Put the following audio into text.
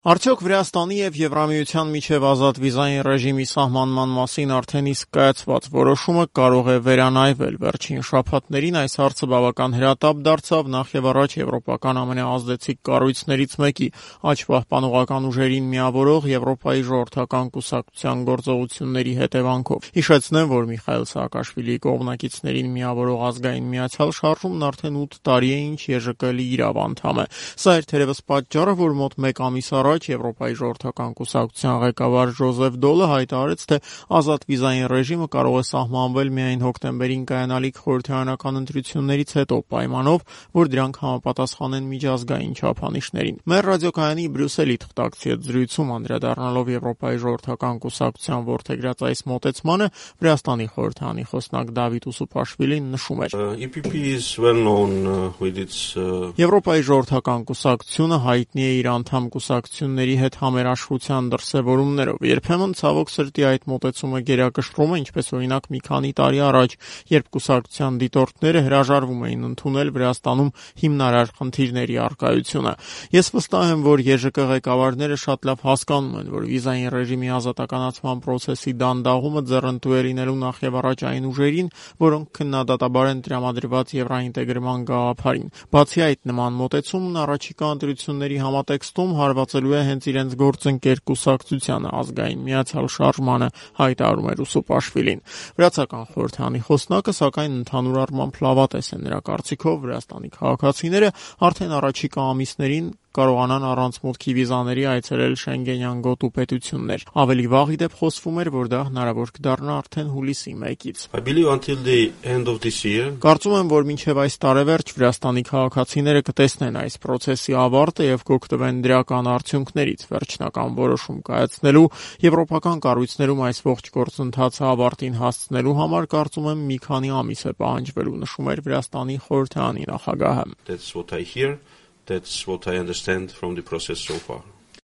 Արդյոք Վրաստանի և Եվրամիության միջև ազատ վիզային ռեժիմի սահմանման մասին արդեն իսկ կայացված որոշումը կարող է վերանայվել։ Վերջին շաբաթներին այս հարցը բավական հրատապ դարձավ նախ եւ առաջ եվրոպական ամենաազդեցիկ կառույցներից մեկի աջ պահպանողական ուժերին միավորող Եվրոպայի ժողովրդական կուսակցության գործողությունների հետևանքով։ Հիշեցնեմ, որ Միխայիլ Սաակաշվիլիի կողմնակիցներին միավորող ազգային միացյալ շարժումն արդեն 8 տարի է ինչ ԵԺԿ-ի իրավ անդամ է։ Սա էր թերևս պատճառը, որ մոտ մեկ ամիս առաջ Եվրոպայի ժողովրդական կուսակցության ղեկավար Ժոզեֆ Դոլը հայտարարեց, թե ազատ վիզային ռեժիմը կարող է սահմանվել միայն հոկտեմբերին կայանալիք խորհրդարանական ընտրություններից հետո, պայմանով, որ դրանք համապատասխանեն միջազգային չափանիշներին։ Մեր ռադիոկայանի Բրյուսելի թղթակցի հետ զրույցում անդրադառնալով Եվրոպայի ժողովրդական կուսակցության որդեգրած այս մոտեցմանը, Վրաստանի խորհրդարանի խոսնակ Դավիթ Ուսուփաշվիլին նշում էր. Եվրոպայի ժողովրդական կուսակցությունը հայտնի է իր անդամ կուսակցությունների հետ համերաշխության դրսևորումներով։ Երբեմն ցավոք սրտի այդ մոտեցումը գերակշռում է, ինչպես օրինակ մի քանի տարի առաջ, երբ կուսակցության դիտորդները հրաժարվում էին ընդունել Վրաստանում հիմնարար խնդիրների առկայությունը։ Ես վստահ եմ, որ ԵԺԿ ղեկավարները շատ լավ հասկանում են, որ վիզային ռեժիմի ազատականացման process-ի դանդաղումը ձեռնտու է լինելու նախ եւ առաջ այն ուժերին, որոնք քննադատաբար են տրամադրված եվրոինտեգրման գաղափարին։ Բացի այդ, նման մոտեցումն առաջիկա ընտրությունների համատեքստում հարվածելու է հենց իրենց գործընկեր կուսակցությանը, ազգային միացյալ շարժմանը, հայտարարում էր Ուսուփաշվիլին։ Վրացական խորհրդարանի խոսնակը, սակայն ընդհանուր առմամբ լավատես է։ Նրա կարծիքով Վրաստանի քաղաքացիները արդեն առաջիկա ամիսներին կարողանան առանց մուտքի վիզաների այցելել Շենգենյան գոտու պետություններ։ Ավելի վաղ ի դեպ խոսվում էր, որ դա հնարավոր կդառնա արդեն հուլիսի 1-ից։ Կարծում եմ, որ մինչև այս տարեվերջ Վրաստանի քաղաքացիները կտեսնեն այս process-ի ավարտը եւ կօգտվեն դրական արդյունքներից։ Վերջնական որոշում կայացնելու եվրոպական կառույցներում այս ողջ գործընթացը ավարտին հասցնելու համար կարծում եմ մի քանի ամիս է պահանջվելու, նշում էր Վրաստանի խորհրդարանի նախագահը։ That's what I understand from the process so far.